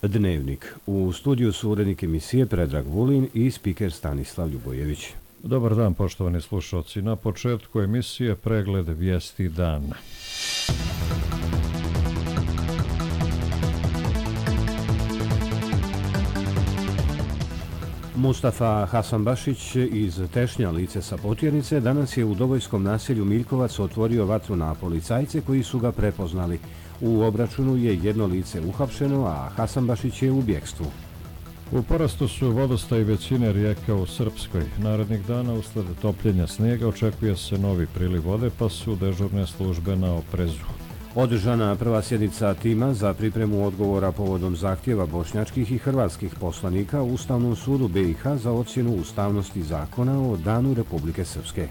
Dnevnik. U studiju su urednik emisije Predrag Vulin i spiker Stanislav Ljubojević. Dobar dan, poštovani slušalci. Na početku emisije pregled vijesti dana. Mustafa Hasanbašić iz Tešnja, lice sa Potjernice, danas je u Dobojskom naselju Miljkovac otvorio vatru na policajce koji su ga prepoznali. U obračunu je jedno lice uhapšeno, a Hasanbašić je u bjegstvu. U porastu su vodostaj većine rijeka u Srpskoj. Narednih dana usled topljenja snijega očekuje se novi priliv vode, pa su dežurne službe na oprezu. Održana prva sjednica tima za pripremu odgovora povodom zahtjeva bošnjačkih i hrvatskih poslanika u Ustavnom sudu BiH za ocjenu ustavnosti zakona o Danu Republike Srpske.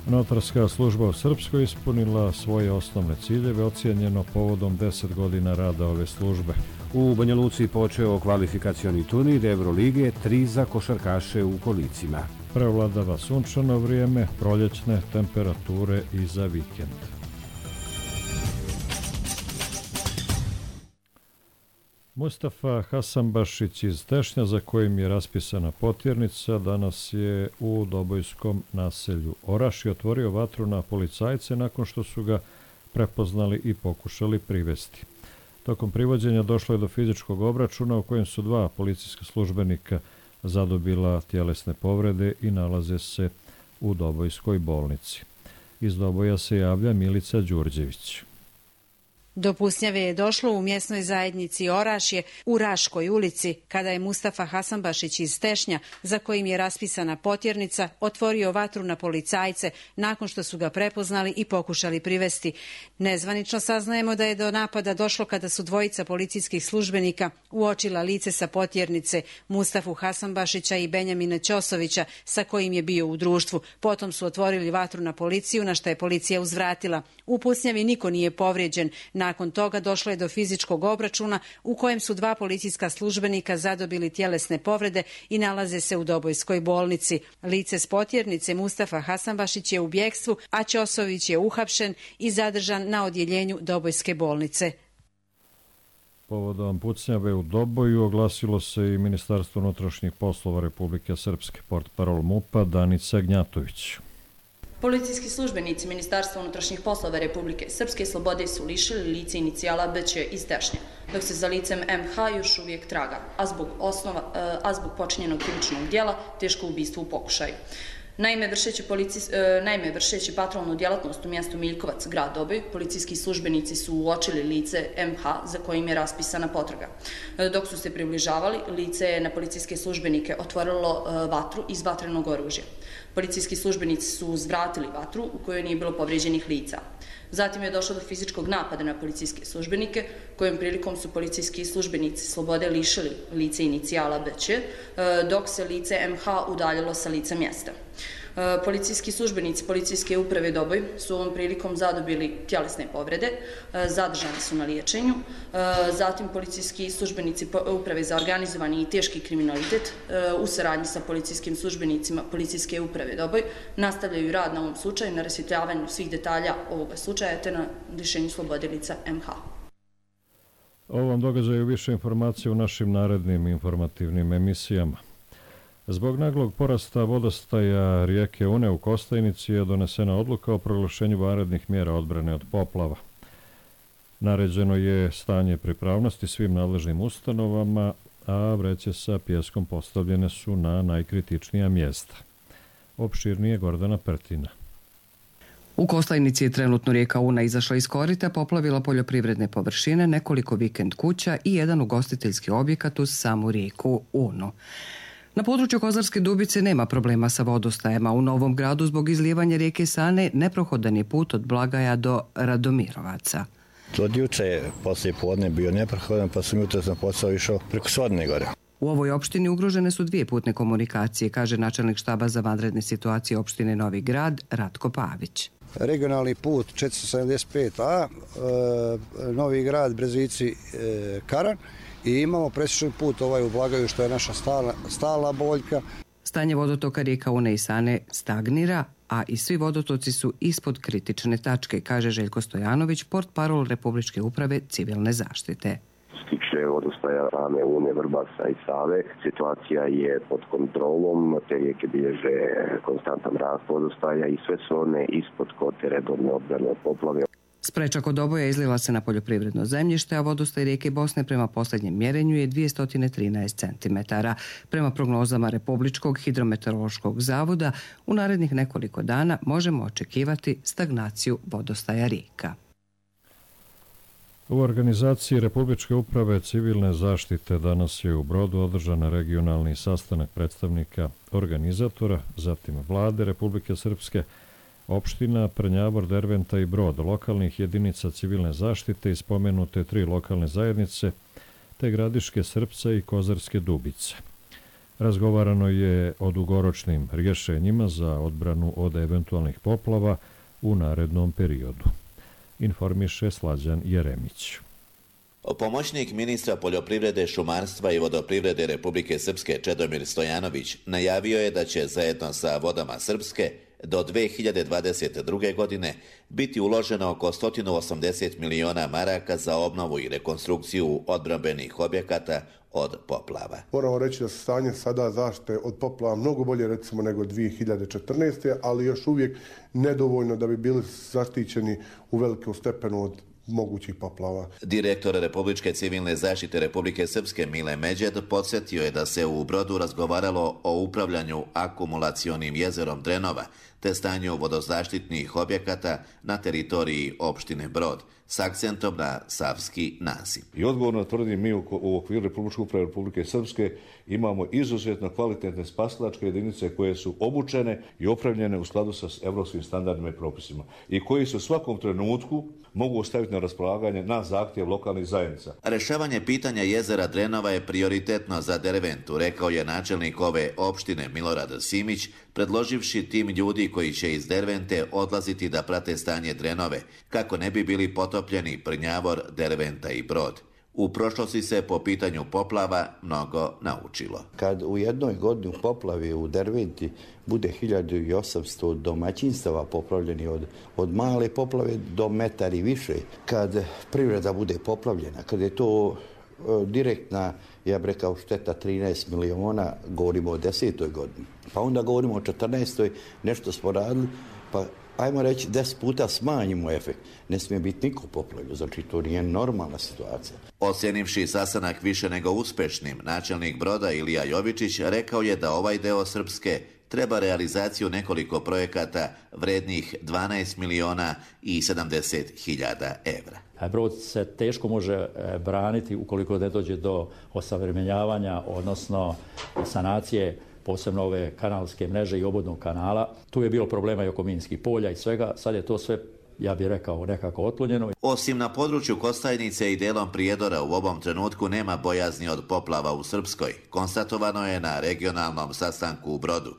Notarska služba u Srpskoj ispunila svoje osnovne ciljeve, ocijenjeno povodom 10 godina rada ove službe. U Banja Luci počeo kvalifikacioni turnir Evrolige 3 za košarkaše u kolicima. Prevladava sunčano vrijeme, proljećne temperature i za vikend. Mustafa Hasanbašić iz Tešnja, za kojim je raspisana Potjernica, danas je u Dobojskom naselju Orašje otvorio vatru na policajce nakon što su ga prepoznali i pokušali privesti. Tokom privođenja došlo je do fizičkog obračuna u kojem su dva policijska službenika zadobila tjelesne povrede i nalaze se u Dobojskoj bolnici. Iz Doboja se javlja Milica Đurđević. Do pusnjave je došlo u mjesnoj zajednici Orašje u Raškoj ulici, kada je Mustafa Hasanbašić iz Tešnja, za kojim je raspisana Potjernica, otvorio vatru na policajce nakon što su ga prepoznali i pokušali privesti. Nezvanično saznajemo da je do napada došlo kada su dvojica policijskih službenika uočila lice sa Potjernice, Mustafu Hasanbašića i Benjamina Ćosovića, sa kojim je bio u društvu. Potom su otvorili vatru na policiju, na što je policija uzvratila. U pusnjavi niko nije povrijeđen. Nakon toga došlo je do fizičkog obračuna u kojem su dva policijska službenika zadobili tjelesne povrede i nalaze se u Dobojskoj bolnici. Lice s Potjernice Mustafa Hasanbašić je u bjegstvu, a Ćosović je uhapšen i zadržan na odjeljenju Dobojske bolnice. Povodom pucnjave u Doboju oglasilo se i Ministarstvo unutrašnjih poslova Republike Srpske, portparol MUP-a Danica Gnjatović. Policijski službenici Ministarstva unutrašnjih poslova Republike Srpske slobode su lišili lice inicijala BČ iz Tešnja, dok se za licem MH još uvijek traga, a zbog počinjenog krivičnog djela teško ubistvo u pokušaju. Naime, vršeći patrolnu djelatnost u mjestu Miljkovac, grad Doboj, policijski službenici su uočili lice MH za kojim je raspisana potraga. Dok su se približavali, lice je na policijske službenike otvorilo vatru iz vatrenog oružja. Policijski službenici su uzvratili vatru u kojoj nije bilo povrijeđenih lica. Zatim je došlo do fizičkog napada na policijske službenike, kojom prilikom su policijski službenici slobode lišili lice inicijala BČ, dok se lice MH udaljilo sa lica mjesta. Policijski službenici policijske uprave Doboj su ovom prilikom zadobili tjelesne povrede, zadržani su na liječenju. Zatim policijski službenici uprave za organizovani i teški kriminalitet u saradnji sa policijskim službenicima policijske uprave Doboj nastavljaju rad na ovom slučaju, na rasvjetljavanju svih detalja ovoga slučaja te na lišenju slobode lica MH. O ovom događaju više informacija u našim narednim informativnim emisijama. Zbog naglog porasta vodostaja rijeke Une u Kostajnici je donesena odluka o proglašenju vanrednih mjera odbrane od poplava. Naređeno je stanje pripravnosti svim nadležnim ustanovama, a vreće sa pijeskom postavljene su na najkritičnija mjesta. Opširnije Gordana Pertina. U Kostajnici je trenutno rijeka Una izašla iz korita, poplavila poljoprivredne površine, nekoliko vikend kuća i jedan ugostiteljski objekat uz samu rijeku Unu. Na području Kozarske Dubice nema problema sa vodostajama. U Novom Gradu zbog izlijevanja rijeke Sane neprohodan je put od Blagaja do Radomirovaca. Od juče poslije podne bio neprohodan, pa sam jutro na posao išao preko Svodne gore. U ovoj opštini ugrožene su dvije putne komunikacije, kaže načelnik štaba za vanredne situacije opštine Novi Grad Ratko Pavić. Regionalni put 475A, Novi Grad, Brezici, Karan, i imamo presječni put u Blagaju, što je naša stalna boljka. Stanje vodotoka rijeka Une i Sane stagnira, a i svi vodotoci su ispod kritične tačke, kaže Željko Stojanović, portparol Republičke uprave civilne zaštite. Što se tiče vodostaja same Une, Vrbasa i Save, situacija je pod kontrolom, te rijeke bilježe konstantan rast vodostaja i sve su one ispod kote redovne odbrane od poplave. Spreča kod oboja izlila se na poljoprivredno zemljište, a vodostaj rijeke Bosne prema posljednjem mjerenju je 213 cm. Prema prognozama Republičkog hidrometeorološkog zavoda, u narednih nekoliko dana možemo očekivati stagnaciju vodostaja rijeka. U organizaciji Republičke uprave civilne zaštite danas je u Brodu održan regionalni sastanak predstavnika organizatora, zatim Vlade Republike Srpske, opština Prnjavor, Derventa i Brod, lokalnih jedinica civilne zaštite i spomenute 3 lokalne zajednice, te Gradiške Srpca i Kozarske Dubice. Razgovarano je o dugoročnim rješenjima za odbranu od eventualnih poplava u narednom periodu. Informiše Slađan Jeremić. Pomoćnik ministra poljoprivrede, šumarstva i vodoprivrede Republike Srpske Čedomir Stojanović najavio je da će zajedno sa Vodama Srpske do 2022. godine biti uloženo oko 180 miliona maraka za obnovu i rekonstrukciju odbrambenih objekata od poplava. Moramo reći da se stanje sada zaštite od poplava mnogo bolje recimo nego 2014. ali još uvijek nedovoljno da bi bili zaštićeni u velikom stepenu od mogućih poplava. Direktor Republičke civilne zaštite Republike Srpske Mile Međed podsjetio je da se u Brodu razgovaralo o upravljanju akumulacionim jezerom Drenova te stanju vodozaštitnih objekata na teritoriji opštine Brod s akcentom na Savski nasip. I odgovorno tvrdim, mi u okviru Republičke uprave Republike Srpske imamo izuzetno kvalitetne spasilačke jedinice koje su obučene i opremljene u skladu sa evropskim standardima i propisima i koji se u svakom trenutku mogu staviti na raspolaganje na zahtjev lokalnih zajednica. Rešavanje pitanja jezera Drenova je prioritetno za Derventu, rekao je načelnik ove opštine Milorad Simić, predloživši tim ljudi koji će iz Dervente odlaziti da prate stanje Drenove, kako ne bi bili potopljeni Prnjavor, Derventa i Brod. U prošlosti se po pitanju poplava mnogo naučilo. Kad u jednoj godini u poplavi u Derventi bude 1800 domaćinstava poplavljeni od male poplave do metar i više, kad privreda bude poplavljena, kad je to direktna, ja bih rekao, šteta 13 miliona, govorimo o 10. godini. Pa onda govorimo o 14. nešto smo radili, pa ajmo reći 10 puta smanjimo efekt. Ne smije biti niko poplavljen, znači to nije normalna situacija. Ocjenivši sastanak više nego uspešnim, načelnik Broda Ilija Jovičić rekao je da ovaj deo Srpske treba realizaciju nekoliko projekata vrednih 12 miliona i 70 hiljada evra. Brod se teško može braniti ukoliko ne dođe do osavremenjavanja, odnosno sanacije posebno ove kanalske mreže i obodnog kanala. Tu je bilo problema i oko minskih polja i svega. Sad je to sve, ja bih rekao, nekako otklonjeno. Osim na području Kostajnice i delom Prijedora u ovom trenutku nema bojazni od poplava u Srpskoj. Konstatovano je na regionalnom sastanku u Brodu.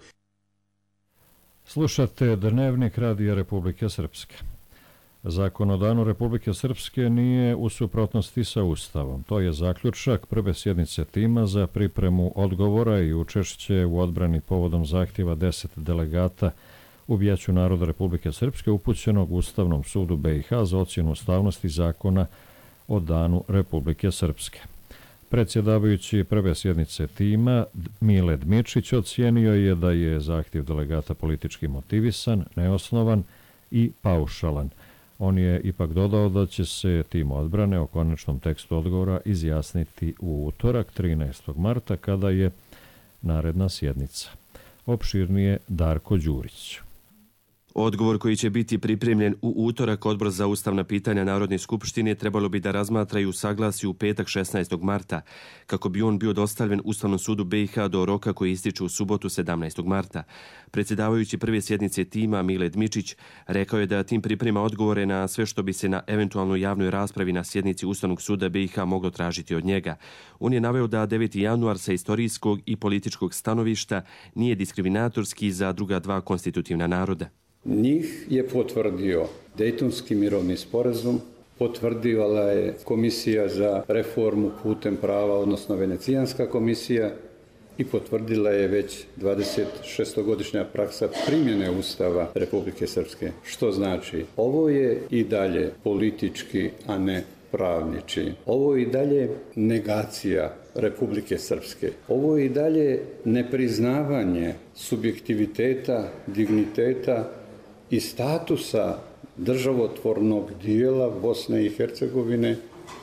Slušate Dnevnik Radija Republike Srpske. Zakon o danu Republike Srpske nije u suprotnosti sa Ustavom. To je zaključak prve sjednice tima za pripremu odgovora i učešće u odbrani povodom zahtjeva 10 delegata u Vijeću naroda Republike Srpske upućenog Ustavnom sudu BiH za ocjenu ustavnosti zakona o danu Republike Srpske. Predsjedavajući prve sjednice tima Mile Dmičić ocijenio je da je zahtjev delegata politički motivisan, neosnovan i paušalan. On je ipak dodao da će se tim odbrane o konačnom tekstu odgovora izjasniti u utorak 13. marta kada je naredna sjednica. Opširnije Darko Đurić. Odgovor koji će biti pripremljen u utorak Odbor za ustavna pitanja Narodne skupštine trebalo bi da razmatra i usaglasi u petak 16. marta, kako bi on bio dostavljen Ustavnom sudu BiH do roka koji ističe u subotu 17. marta. Predsjedavajući prve sjednice tima Mile Dmičić rekao je da tim priprema odgovore na sve što bi se na eventualnoj javnoj raspravi na sjednici Ustavnog suda BiH moglo tražiti od njega. On je naveo da 9. januar sa istorijskog i političkog stanovišta nije diskriminatorski za druga dva konstitutivna naroda. Njih je potvrdio Dejtonski mirovni sporazum, potvrdila je Komisija za reformu putem prava, odnosno Venecijanska komisija, i potvrdila je već 26-godišnja praksa primjene Ustava Republike Srpske. Što znači, ovo je i dalje politički, a ne pravni. Ovo je i dalje negacija Republike Srpske. Ovo je i dalje nepriznavanje subjektiviteta, digniteta i statusa državotvornog dijela Bosne i Hercegovine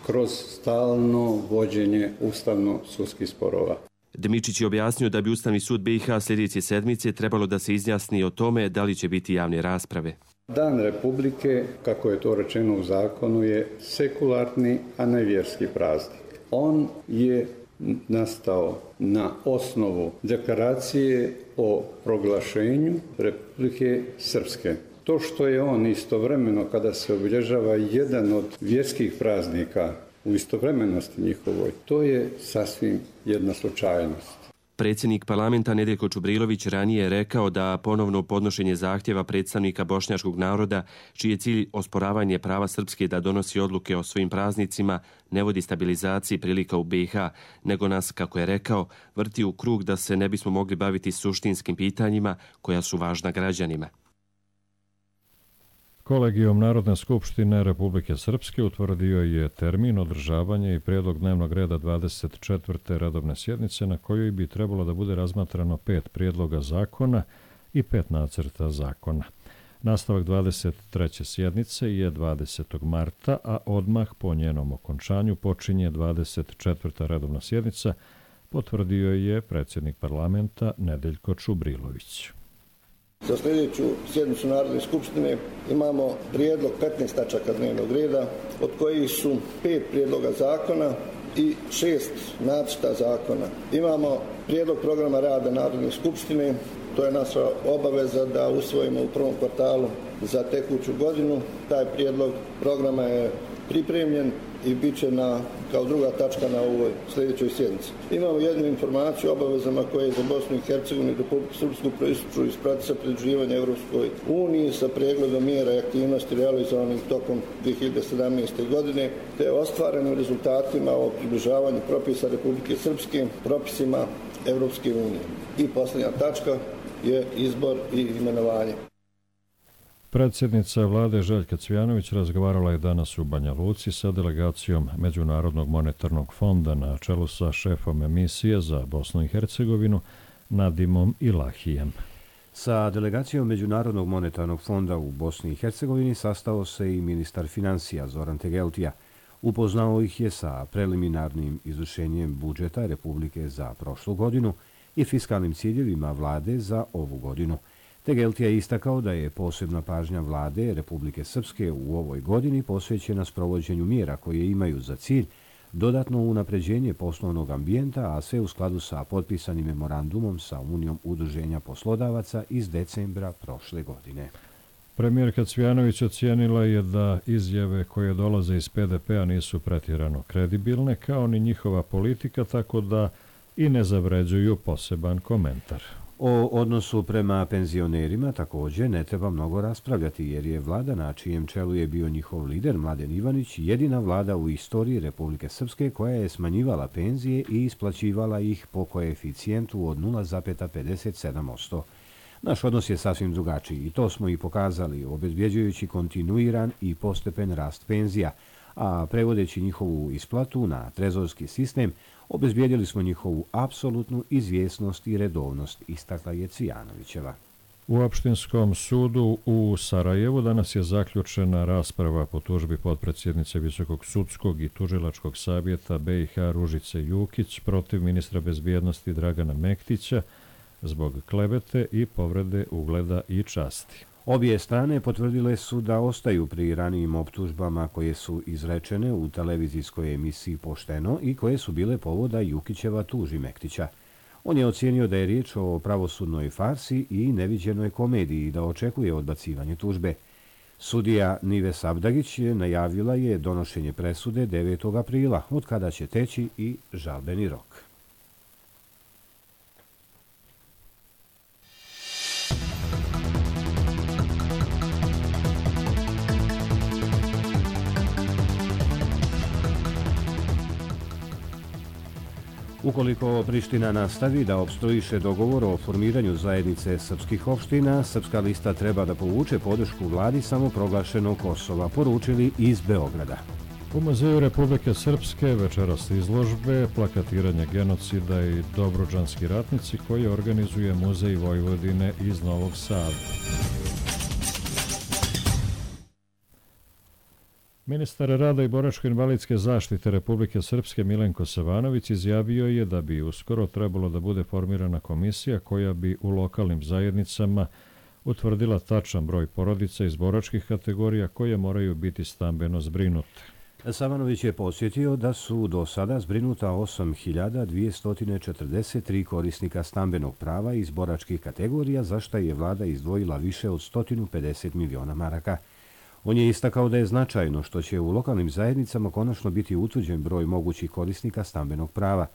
kroz stalno vođenje ustavno-sudskih sporova. Dmičić je objasnio da bi Ustavni sud BiH sljedeće sedmice trebalo da se izjasni o tome da li će biti javne rasprave. Dan Republike, kako je to rečeno u zakonu, je sekularni, a ne vjerski praznik. On je nastao na osnovu deklaracije o proglašenju Republike Srpske. To što je on istovremeno, kada se obilježava jedan od vjerskih praznika u istovremenosti njihovoj, to je sasvim jedna slučajnost. Predsjednik parlamenta Nedeljko Čubrilović ranije je rekao da ponovno podnošenje zahtjeva predstavnika bošnjačkog naroda, čiji je cilj osporavanje prava Srpske da donosi odluke o svojim praznicima, ne vodi stabilizaciji prilika u BiH, nego nas, kako je rekao, vrti u krug da se ne bismo mogli baviti suštinskim pitanjima koja su važna građanima. Kolegijum Narodne skupštine Republike Srpske utvrdio je termin održavanja i prijedlog dnevnog reda 24. redovne sjednice na kojoj bi trebalo da bude razmatrano 5 prijedloga zakona i 5 nacrta zakona. Nastavak 23. sjednice je 20. marta, a odmah po njenom okončanju počinje 24. redovna sjednica, potvrdio je predsjednik parlamenta Nedeljko Čubrilović. Za sljedeću sjednicu Narodne skupštine imamo prijedlog 15 tačaka dnevnog reda, od kojih su 5 prijedloga zakona i 6 nacrta zakona. Imamo prijedlog programa rada Narodne skupštine, to je naša obaveza da usvojimo u prvom kvartalu za tekuću godinu. Taj prijedlog programa je pripremljen i bit će kao druga tačka na ovoj sljedećoj sjednici. Imamo jednu informaciju o obavezama koje za Bosnu i Hercegovinu i Republiku Srpsku proističu iz procesa pridruživanja Europskoj uniji sa pregledom mjera i aktivnosti realizovanih tokom 2017. godine te ostvarenim rezultatima o približavanju propisa Republike Srpske propisima Europske unije. I posljednja tačka je izbor i imenovanje. Predsjednica vlade Željka Cvijanović razgovarala je danas u Banja Luci sa delegacijom Međunarodnog monetarnog fonda na čelu sa šefom emisije za Bosnu i Hercegovinu Nadimom Ilahijem. Sa delegacijom Međunarodnog monetarnog fonda u Bosni i Hercegovini sastao se i ministar financija Zoran Tegeltija. Upoznao ih je sa preliminarnim izvršenjem budžeta Republike za prošlu godinu i fiskalnim ciljevima vlade za ovu godinu. Tegeltija je istakao da je posebna pažnja vlade Republike Srpske u ovoj godini posvećena sprovođenju mjera koje imaju za cilj dodatno unapređenje poslovnog ambijenta, a sve u skladu sa potpisanim memorandumom sa Unijom udruženja poslodavaca iz decembra prošle godine. Premijerka Cvijanović ocijenila je da izjave koje dolaze iz PDP-a nisu pretjerano kredibilne, kao ni njihova politika, tako da i ne zavređuju poseban komentar. O odnosu prema penzionerima također ne treba mnogo raspravljati, jer je vlada na čijem čelu je bio njihov lider Mladen Ivanić jedina vlada u istoriji Republike Srpske koja je smanjivala penzije i isplaćivala ih po koeficijentu od 0,57%. Naš odnos je sasvim drugačiji i to smo i pokazali, obezbjeđujući kontinuiran i postepen rast penzija, a prevodeći njihovu isplatu na trezorski sistem, obezbijedili smo njihovu apsolutnu izvjesnost i redovnost, istakla je Cvijanovićeva. U Opštinskom sudu u Sarajevu danas je zaključena rasprava po tužbi potpredsjednice Visokog sudskog i tužilačkog savjeta BiH Ružice Jukić protiv ministra bezbjednosti Dragana Mektića zbog klevete i povrede ugleda i časti. Obje strane potvrdile su da ostaju pri ranijim optužbama koje su izrečene u televizijskoj emisiji Pošteno i koje su bile povoda Jukićeva tuži Mektića. On je ocijenio da je riječ o pravosudnoj farsi i neviđenoj komediji i da očekuje odbacivanje tužbe. Sudija Nives Abdagić najavila je donošenje presude 9. aprila, od kada će teći i žalbeni rok. Ukoliko Priština nastavi da opstruiše dogovor o formiranju zajednice srpskih opština, Srpska lista treba da povuče podršku vladi samoproglašenog Kosova, poručili iz Beograda. U Muzeju Republike Srpske večeras izložbe plakatiranje genocida i Dobruđanski ratnici koji organizuje Muzej Vojvodine iz Novog Sada. Ministar rada i boračko-invalidske zaštite Republike Srpske Milenko Savanović izjavio je da bi uskoro trebalo da bude formirana komisija koja bi u lokalnim zajednicama utvrdila tačan broj porodica iz boračkih kategorija koje moraju biti stambeno zbrinute. Savanović je podsjetio da su do sada zbrinuta 8.243 korisnika stambenog prava iz boračkih kategorija, za što je vlada izdvojila više od 150 miliona maraka. On je istakao da je značajno što će u lokalnim zajednicama konačno biti utvrđen broj mogućih korisnika stambenog prava.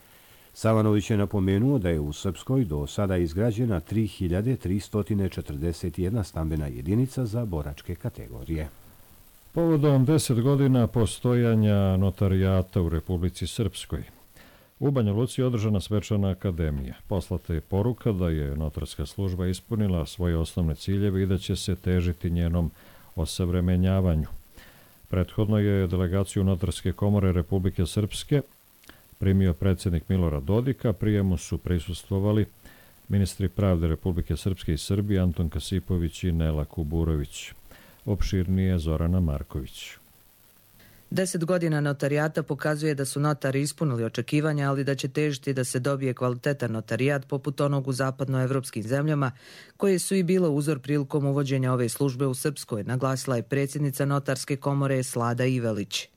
Savanović je napomenuo da je u Srpskoj do sada izgrađena 3.341 stambena jedinica za boračke kategorije. Povodom 10 godina postojanja notarijata u Republici Srpskoj, u Banja Luci je održana svečana akademija. Poslata je poruka da je notarska služba ispunila svoje osnovne ciljeve i da će se težiti njenom osavremenjavanju. Prethodno je delegaciju Notarske komore Republike Srpske primio predsjednik Milorad Dodik, a prijemu su prisustvovali ministri pravde Republike Srpske i Srbije Anton Kasipović i Nela Kuburović. Opširnije Zorana Marković. 10 godina notarijata pokazuje da su notari ispunili očekivanja, ali da će težiti da se dobije kvalitetan notarijat poput onog u zapadnoevropskim zemljama, koje su i bilo uzor prilikom uvođenja ove službe u Srpskoj, naglasila je predsjednica Notarske komore Slada Ivelić.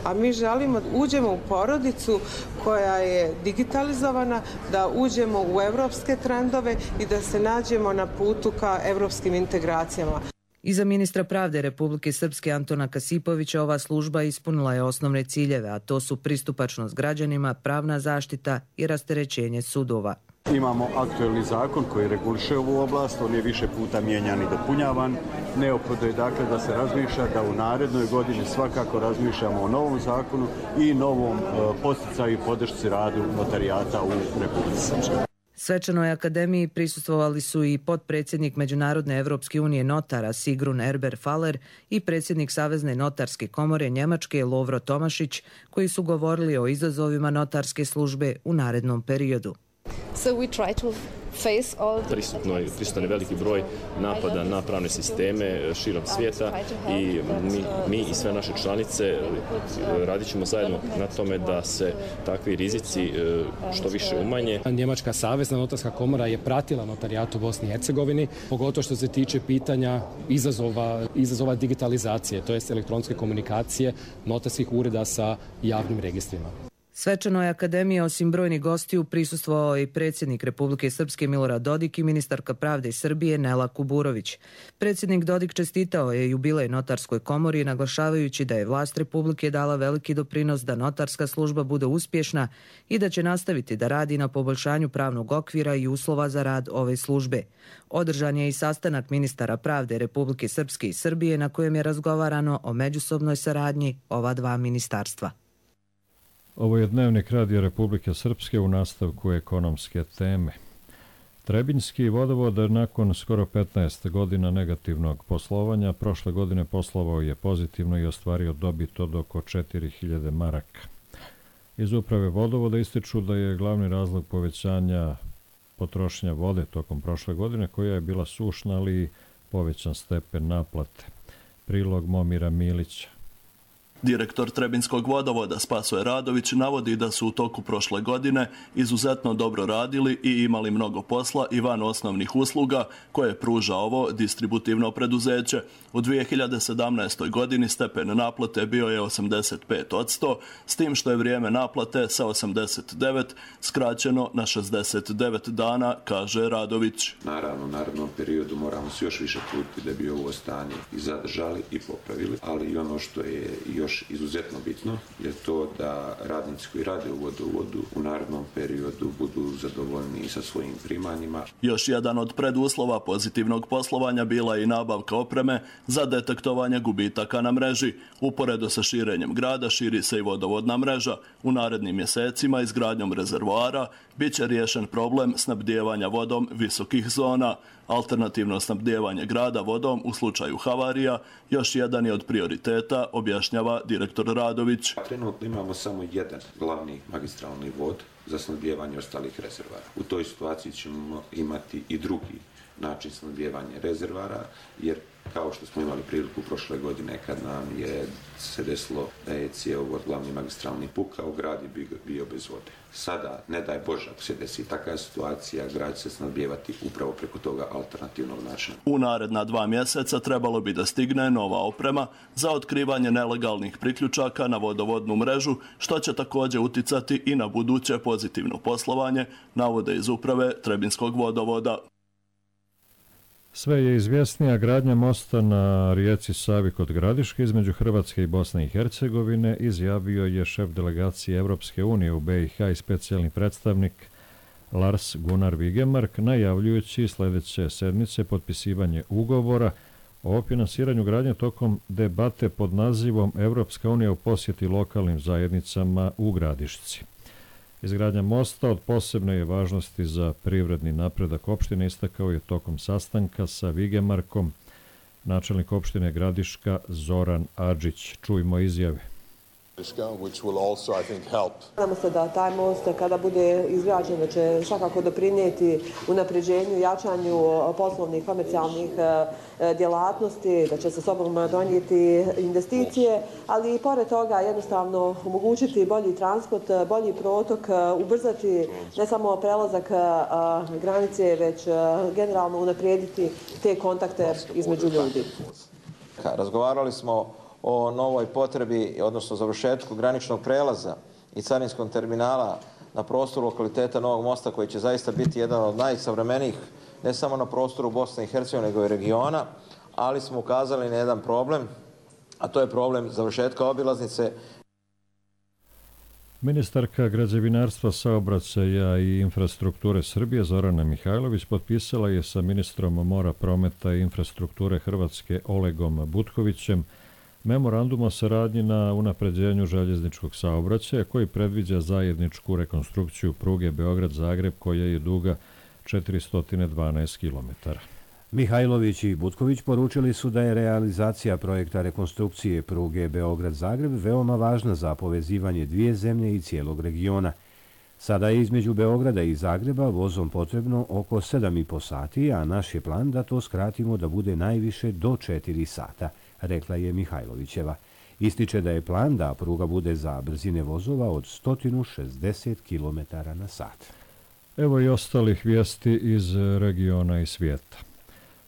A mi želimo da uđemo u porodicu koja je digitalizovana, da uđemo u evropske trendove i da se nađemo na putu ka evropskim integracijama. Iza ministra pravde Republike Srpske Antona Kasipovića ova služba ispunila je osnovne ciljeve, a to su pristupačnost građanima, pravna zaštita i rasterećenje sudova. Imamo aktuelni zakon koji reguliše ovu oblast, on je više puta mijenjan i dopunjavan. Neophodno je dakle da se razmišlja da u narednoj godini svakako razmišljamo o novom zakonu i novom podsticaju i podršci radu notarijata u Republici Srpskoj. Svečanoj akademiji prisustvovali su i potpredsjednik Međunarodne Evropske unije notara Sigrun Erber Faller i predsjednik Savezne notarske komore Njemačke Lovro Tomašić, koji su govorili o izazovima notarske službe u narednom periodu. Prisutan je veliki broj napada na pravne sisteme širom svijeta i mi i sve naše članice radit ćemo zajedno na tome da se takvi rizici što više umanje. Njemačka savezna notarska komora je pratila notarijat u Bosni i Hercegovini, pogotovo što se tiče pitanja izazova digitalizacije, to jest elektronske komunikacije notarskih ureda sa javnim registrima. Svečanoj akademiji osim brojnih gostiju prisustvovao i predsjednik Republike Srpske Milorad Dodik i ministarka pravde Srbije Nela Kuburović. Predsjednik Dodik čestitao je jubilej notarskoj komori, naglašavajući da je vlast Republike dala veliki doprinos da notarska služba bude uspješna i da će nastaviti da radi na poboljšanju pravnog okvira i uslova za rad ove službe. Održan je i sastanak ministara pravde Republike Srpske i Srbije na kojem je razgovarano o međusobnoj saradnji ova dva ministarstva. Ovo je dnevnik Radija Republike Srpske u nastavku ekonomske teme. Trebinjski vodovod nakon skoro 15 godina negativnog poslovanja prošle godine poslovao je pozitivno i ostvario dobit od oko 4000 maraka. Iz uprave vodovoda ističu da je glavni razlog povećanja potrošnja vode tokom prošle godine, koja je bila sušna, ali i povećan stepen naplate. Prilog Momira Milića. Direktor Trebinjskog vodovoda Spasoje Radović navodi da su u toku prošle godine izuzetno dobro radili i imali mnogo posla i van osnovnih usluga koje pruža ovo distributivno preduzeće. U 2017. godini stepen naplate bio je 85%, s tim što je vrijeme naplate sa 89 skraćeno na 69 dana, kaže Radović. Naravno, u narednom periodu moramo se još više truditi da bi ovo stanje i zadržali i popravili, ali i ono što je još izuzetno bitno je to da radnici koji rade u vodovodu u narednom periodu budu zadovoljni sa svojim primanjima. Još jedan od preduslova pozitivnog poslovanja bila je i nabavka opreme za detektovanje gubitaka na mreži. Uporedo sa širenjem grada širi se i vodovodna mreža. U narednim mjesecima izgradnjom rezervoara bit će riješen problem snabdijevanja vodom visokih zona. Alternativno snabdijevanje grada vodom u slučaju havarija još jedan je od prioriteta, objašnjava ima direktor Radović. Trenutno imamo samo jedan glavni magistralni vod za snabdijevanje ostalih rezervara. U toj situaciji ćemo imati i drugi način snabdijevanja rezervara, jer kao što smo imali priliku prošle godine kad nam je se desilo da je cjevovod glavni magistralni pukao, grad je bio bez vode. Sada, ne daj Bože, ako se desi takva situacija, grad će se snabdijevati upravo preko toga alternativnog načina. U naredna 2 mjeseca trebalo bi da stigne nova oprema za otkrivanje nelegalnih priključaka na vodovodnu mrežu, što će također uticati i na buduće pozitivno poslovanje, navode iz uprave Trebinskog vodovoda. Sve je izvjesnija gradnja mosta na rijeci Savi kod Gradiške između Hrvatske i Bosne i Hercegovine, izjavio je šef delegacije Europske unije u BiH i specijalni predstavnik Lars Gunnar Vigemark, najavljujući sljedeće sedmice potpisivanje ugovora o finansiranju gradnje tokom debate pod nazivom Europska unija u posjeti lokalnim zajednicama u Gradišci. Izgradnja mosta od posebne je važnosti za privredni napredak opštine, istakao je tokom sastanka sa Vigemarkom načelnik opštine Gradiška Zoran Adžić. Čujmo izjave. Nadamo se da taj most kada bude izgrađen da će svakako doprinijeti unapređenju, jačanju poslovnih, komercijalnih djelatnosti, da će sa sobom donijeti investicije, ali i pored toga jednostavno omogućiti bolji transport, bolji protok, ubrzati ne samo prelazak granice, već generalno unaprijediti te kontakte između ljudi. Razgovarali smo o novoj potrebi, odnosno završetku graničnog prelaza i carinskog terminala na prostoru lokaliteta Novog mosta, koji će zaista biti jedan od najsavremenijih, ne samo na prostoru Bosne i Hercegovine, nego i regiona, ali smo ukazali na jedan problem, a to je problem završetka obilaznice. Ministarka građevinarstva, saobraćaja i infrastrukture Srbije Zorana Mihajlović potpisala je sa ministrom mora, prometa i infrastrukture Hrvatske Olegom Butkovićem memorandum o saradnji na unapređenju željezničkog saobraćaja koji predviđa zajedničku rekonstrukciju pruge Beograd-Zagreb koja je duga 412 km. Mihajlović i Butković poručili su da je realizacija projekta rekonstrukcije pruge Beograd-Zagreb veoma važna za povezivanje dvije zemlje i cijelog regiona. Sada je između Beograda i Zagreba vozom potrebno oko 7,5 sati, a naš je plan da to skratimo da bude najviše do 4 sata, rekla je Mihajlovićeva. Ističe da je plan da pruga bude za brzine vozova od 160 km na sat. Evo i ostalih vijesti iz regiona i svijeta.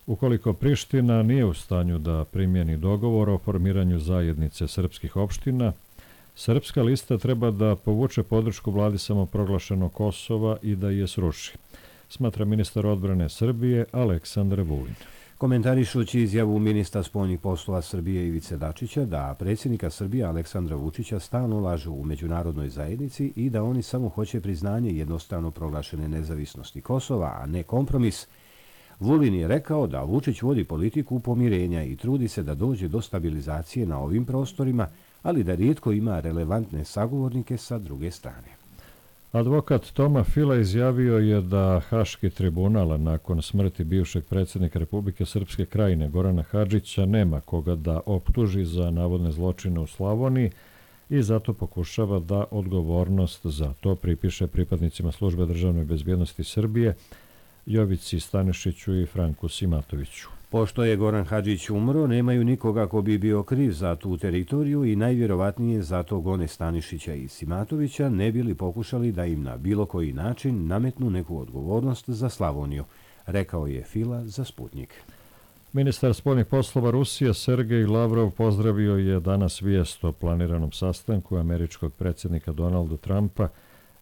Ukoliko Priština nije u stanju da primjeni dogovor o formiranju zajednice srpskih opština, Srpska lista treba da povuče podršku vladi samoproglašenog Kosova i da je sruši, smatra ministar odbrane Srbije Aleksandar Vulin. Komentarišući izjavu ministra spoljnih poslova Srbije Ivice Dačića da predsjednika Srbije Aleksandra Vučića stalno lažu u međunarodnoj zajednici i da oni samo hoće priznanje jednostrano proglašene nezavisnosti Kosova, a ne kompromis, Vulin je rekao da Vučić vodi politiku pomirenja i trudi se da dođe do stabilizacije na ovim prostorima, ali da rijetko ima relevantne sagovornike sa druge strane. Advokat Toma Fila izjavio je da Haški tribunal nakon smrti bivšeg predsjednika Republike Srpske Krajine Gorana Hadžića nema koga da optuži za navodne zločine u Slavoniji i zato pokušava da odgovornost za to pripiše pripadnicima Službe državne bezbjednosti Srbije Jovici Stanišiću i Franku Simatoviću. Pošto je Goran Hadžić umro, nemaju nikoga ko bi bio kriv za tu teritoriju i najvjerovatnije zato gone Stanišića i Simatovića ne bili pokušali da im na bilo koji način nametnu neku odgovornost za Slavoniju, rekao je Fila za Sputnik. Ministar spoljnih poslova Rusije Sergej Lavrov pozdravio je danas vijest o planiranom sastanku američkog predsjednika Donalda Trumpa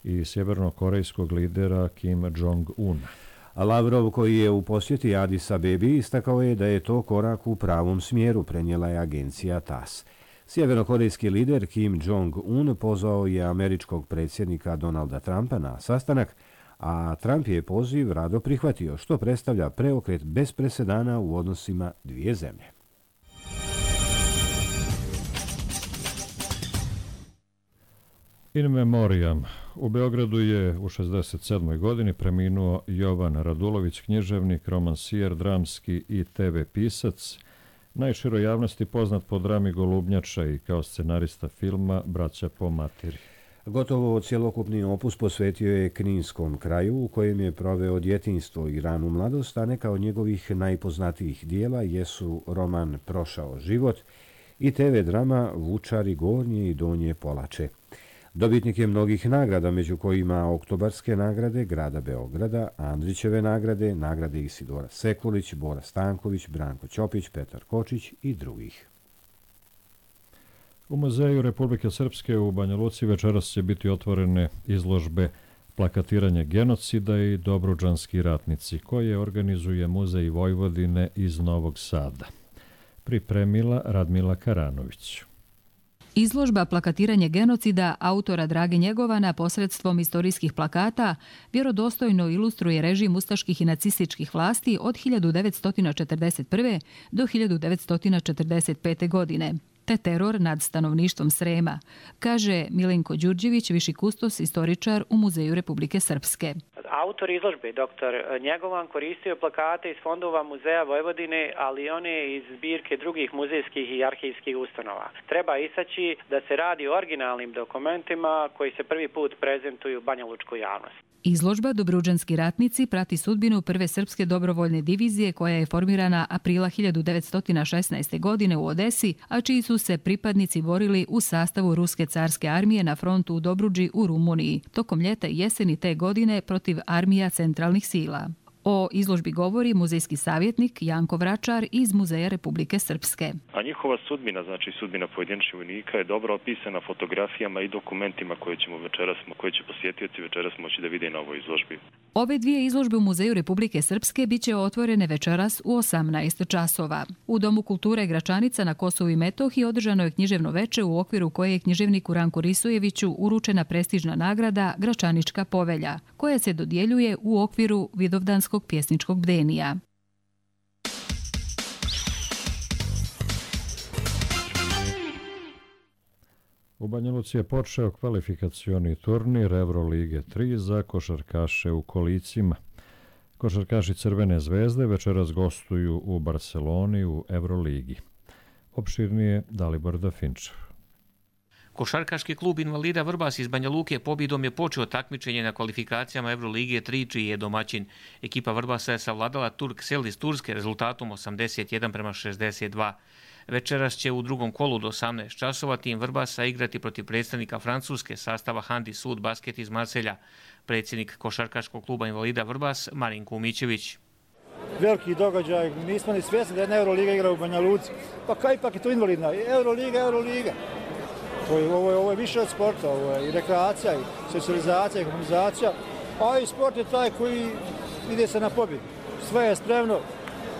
i sjevernokorejskog lidera Kim Jong-una. Lavrov, koji je u posjeti Adis Abebi, istakao je da je to korak u pravom smjeru, prenijela je agencija TASS. Sjevernokorejski lider Kim Jong-un pozvao je američkog predsjednika Donalda Trumpa na sastanak, a Trump je poziv rado prihvatio, što predstavlja preokret bez presedana u odnosima dvije zemlje. In memoriam. U Beogradu je u 67. godini preminuo Jovan Radulović, književnik, romansijer, dramski i TV pisac. Najširoj javnosti poznat po drami Golubnjača i kao scenarista filma Braća po materi. Gotovo cjelokupni opus posvetio je Kninskom kraju u kojem je proveo djetinjstvo i ranu mladost, a neka od njegovih najpoznatijih dijela jesu roman Prošao život i TV drama Vučari Gornje i Donje Polače. Dobitnik je mnogih nagrada, među kojima Oktobarske nagrade grada Beograda, Andrićeve nagrade, nagrade Isidora Sekulić, Bora Stanković, Branko Ćopić, Petar Kočić i drugih. U Muzeju Republike Srpske u Banja Luci večeras će biti otvorene izložbe Plakatiranje genocida i Dobruđanski ratnici, koje organizuje Muzej Vojvodine iz Novog Sada. Pripremila Radmila Karanović. Izložba Plakatiranje genocida autora Drage Njegovana posredstvom istorijskih plakata vjerodostojno ilustruje režim ustaških i nacističkih vlasti od 1941. do 1945. godine, te teror nad stanovništvom Srema, kaže Milenko Đurđević, viši kustos istoričar u Muzeju Republike Srpske. Autor izložbe, dr. Njegovan, koristio plakate iz fondova Muzeja Vojvodine, ali i one iz zbirke drugih muzejskih i arhivskih ustanova. Treba istaći da se radi o originalnim dokumentima koji se prvi put prezentuju banjalučkoj javnosti. Izložba Dobruđanski ratnici prati sudbinu prve srpske dobrovoljne divizije koja je formirana aprila 1916. godine u Odesi, a čiji su se pripadnici borili u sastavu Ruske carske armije na frontu u Dobruđi u Rumuniji, tokom ljeta i jeseni te godine protiv armija centralnih sila. O izložbi govori muzejski savjetnik Janko Vračar iz Muzeja Republike Srpske. A njihova sudbina, znači sudbina pojedinačnih vojnika, je dobro opisana fotografijama i dokumentima koje će posjetioci večeras moći da vide na ovoj izložbi. Ove dvije izložbe u Muzeju Republike Srpske biće otvorene večeras u 18 časova. U Domu kulture Gračanica na Kosovu i Metohiji održano je književno veče u okviru koje je književniku Ranku Risojeviću uručena prestižna nagrada Gračanička povelja, koja se dodjeljuje u okviru Vidovdanskog pjesničkog bdenija. U Banja Luci je počeo kvalifikacioni turnir Evrolige 3 za košarkaše u kolicima. Košarkaši Crvene zvezde večeras gostuju u Barceloni u Evroligi. Opširnije Dalibor Dafinčev. Košarkaški klub invalida Vrbas iz Banja Luke pobjedom je počeo takmičenje na kvalifikacijama Evrolige 3, čiji je domaćin. Ekipa Vrbasa je savladala Turksel iz Turske rezultatom 81-62. Večeras će u drugom kolu do 18 časova tim Vrbasa igrati protiv predstavnika Francuske sastava Handi Sud Basket iz Marselja. Predsjednik košarkaškog kluba invalida Vrbas Marin Kumićević. Veliki događaj, nismo ni svjesni da jedna Euroliga igra u Banja Luci. Pa kaj ipak je to invalidna? Euroliga. Ovo je više od sporta, ovo je i rekreacija, i socijalizacija, i komunizacija, a i sport je taj koji ide se na pobjedu. Sve je spremno,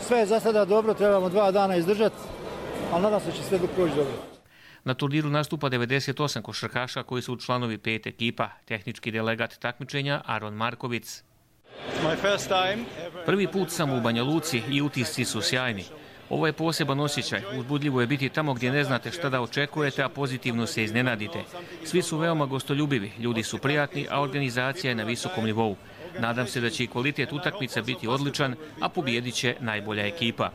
sve je za sada dobro, trebamo 2 dana izdržati, ali nadam se da će sve proći dobro. Na turniru nastupa 98 košarkaša koji su članovi 5 ekipa. Tehnički delegat takmičenja Aron Markovic. Prvi put sam u Banja Luci i utisci su sjajni. Ovo je poseban osjećaj. Uzbudljivo je biti tamo gdje ne znate šta da očekujete, a pozitivno se iznenadite. Svi su veoma gostoljubivi, ljudi su prijatni, a organizacija je na visokom nivou. Nadam se da će i kvalitet utakmica biti odličan, a pobijedit će najbolja ekipa.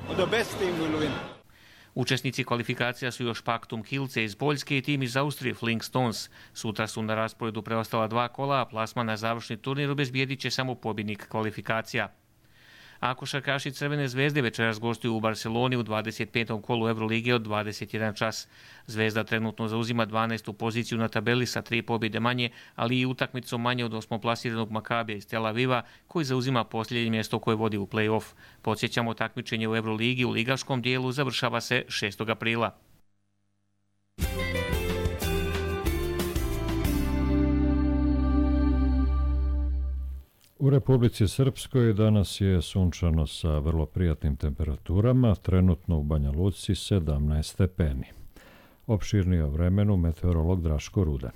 Učesnici kvalifikacija su još Paktum Kielce iz Poljske i tim iz Austrije Flink Stones. Sutra su na rasporedu preostala 2 kola, a plasman na završni turnir obezbijedit će samo pobjednik kvalifikacija. A košarkaši Crvene zvezde večeras gostuju u Barceloni u 25. kolu Evrolige od 21 čas. Zvezda trenutno zauzima 12. poziciju na tabeli sa 3 pobjede manje, ali i utakmicom manje od 8. plasiranog Makabija iz Tel Aviva, koji zauzima posljednje mjesto koje vodi u play-off. Podsjećamo, takmičenje u Evroligi u ligaškom dijelu završava se 6. aprila. U Republici Srpskoj danas je sunčano sa vrlo prijatnim temperaturama, trenutno u Banja Luci 17 stepeni. Opširnije o vremenu meteorolog Draško Rudan.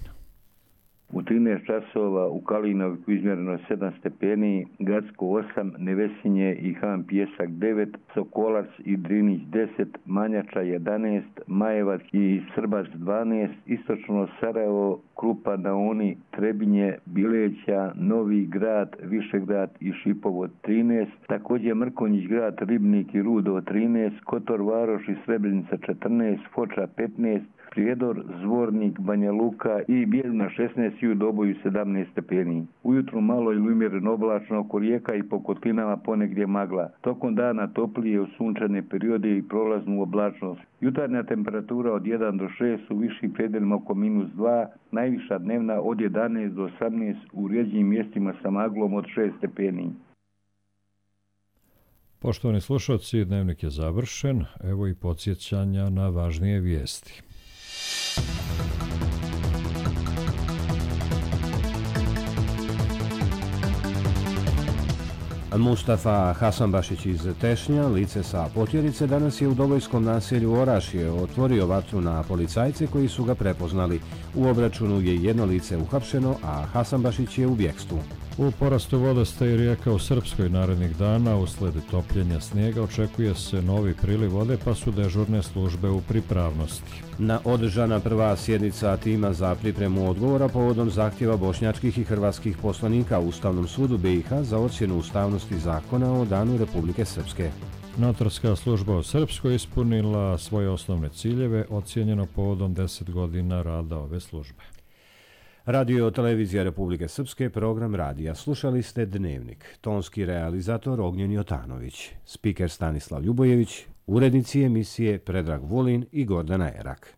U 13 časova u Kalinoviku izmjereno 7 stepeni, Gacko 8, Nevesinje i Han Pjesak 9, Sokolac i Drinić 10, Manjača 11, Majevac i Srbac 12, istočno Sarajevo, Krupa na Uni, Trebinje, Bileća, Novi Grad, Višegrad i Šipovo 13, također Mrkonjić Grad, Ribnik i Rudo 13, Kotor Varoš i Srebrenica 14, Foča 15, Prijedor, Zvornik, Banja Luka i Bijeljina 16 i u Doboju 17 stepeni. Ujutru malo ili umjereno oblačno oko rijeka i po kotlinama ponegdje magla. Tokom dana toplije u sunčane periode i prolaznu oblačnost. Jutarnja temperatura od 1 do 6 u višim predjelima oko -2, najviša dnevna od 11 do 18 u rijeđim mjestima sa maglom od 6 stepeni. Poštovani slušalci, dnevnik je završen. Evo i podsjećanja na važnije vijesti. Mustafa Hasanbašić iz Tešnja, lice sa Potjerice, danas je u Dobojskom naselju Orašje otvorio vatru na policajce koji su ga prepoznali. U obračunu je jedno lice uhapšeno, a Hasanbašić je u bjekstvu. U porastu vodostaja rijeka u Srpskoj narednih dana usled topljenja snijega očekuje se novi priliv vode, pa su dežurne službe u pripravnosti. Održana prva sjednica tima za pripremu odgovora povodom zahtjeva bošnjačkih i hrvatskih poslanika u Ustavnom sudu BiH za ocjenu ustavnosti zakona o Danu Republike Srpske. Notarska služba u Srpskoj ispunila svoje osnovne ciljeve, ocjenjeno povodom 10 godina rada ove službe. Radio televizija Republike Srpske, program radija. Slušali ste Dnevnik. Tonski realizator Ognjen Jotanović. Spiker Stanislav Ljubojević. Urednici emisije Predrag Vulin i Gordana Erak.